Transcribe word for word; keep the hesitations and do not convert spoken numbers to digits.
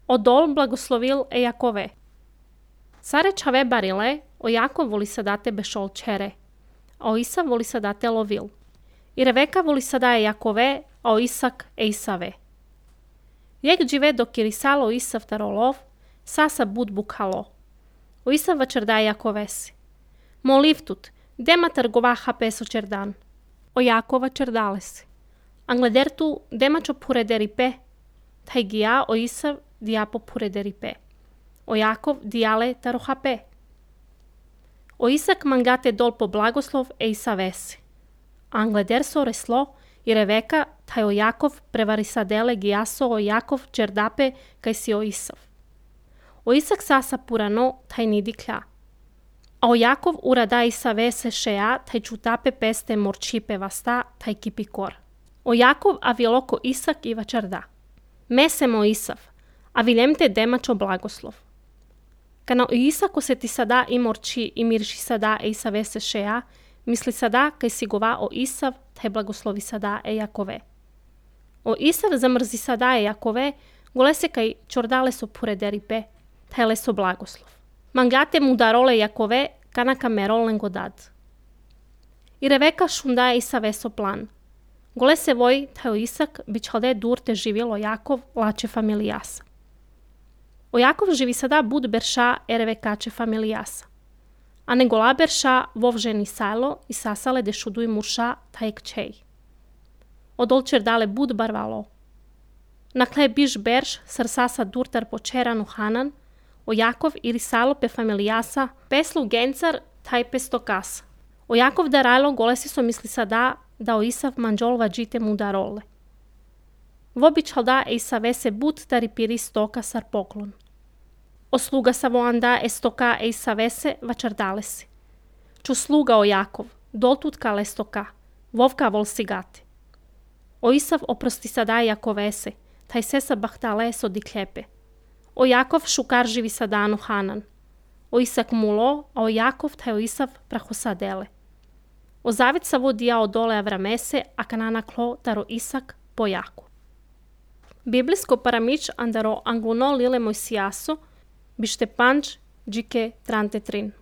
Odol blagoslovil e Jakove. Sare čave barile, o Jakov voli sadate bešol čere, a o Isav voli sadate lovil. I Reveka voli sadaje Jakove, a o Isak e Isave. Jek džive dok irisalo Isav tarolov, sasa bud bukhalo. O Isav vačerdaje Jakovesi. Molivtut, dema trgovaha peso čerdan. O Jakova čerdalesi. Angledertu dema čo purederipe, taj gija o Isav diapo purederipe. O Jakov dijale tarohape. O Isak mangate dol po blagoslov e Isavesi. Angleder so reslo i Reveka taj o Jakov prevarisadele gijaso o Jakov čerdape kaj si o Isav. O Isak sasa purano taj nidikля. A o Jakov urada Isavese šeja taj čutape peste morčipe vasta taj kipikor. O Jakov aviloko Isak i vačarda. Mesemo Isav, a viljemte demačo blagoslov. Kana o Isako se ti sada i morči i mirši sada e Isavese šeja, misli sada kaj si gova o Isav, taj blagoslovi sada e Jakove. O Isav zamrzi sada e Jakove, gole se kaj čordale so purederipe, taj leso blagoslov. Mangate mu darole Jakove, kana kamerolen godad. I Reveka šunda e Isaveso plan. Gole se voj, taj o Isak, bičalde durte živjelo Jakov, lače familijasa. O Jakov živi sada bud berša e Revekače familijasa. A ne gola berša vovženi sajlo i sasale de šuduj murša taj kčej. Odol čerdale bud barvalo. Nakle biš berš sar sasa durtar počeranu hanan, o Jakov iri salo pe familijasa peslu gencar taj pestokas. O Jakov darajlo gole si so misli sada da o Isav manđol vađite mu darole. Vobičal da e Isavese bud tari piri stoka sar poklon. O sluga savoanda e stoka e Isavese vačardale si. Ču sluga o Jakov, doltut kale stoka, vovka vol sigate. O Isav oprosti sada Jakovese, taj sesa bahtale so dikljepe. O Jakov šukar živi sadanu hanan. O Isak mulo, a o Jakov taj o Isav prahosadele. O zavit savo dija odole Avramese, a kanana klo taro Isak po Jakov. Biblijsko paramič andaro angluno lile Mojsijaso, bište panč džike trante trin.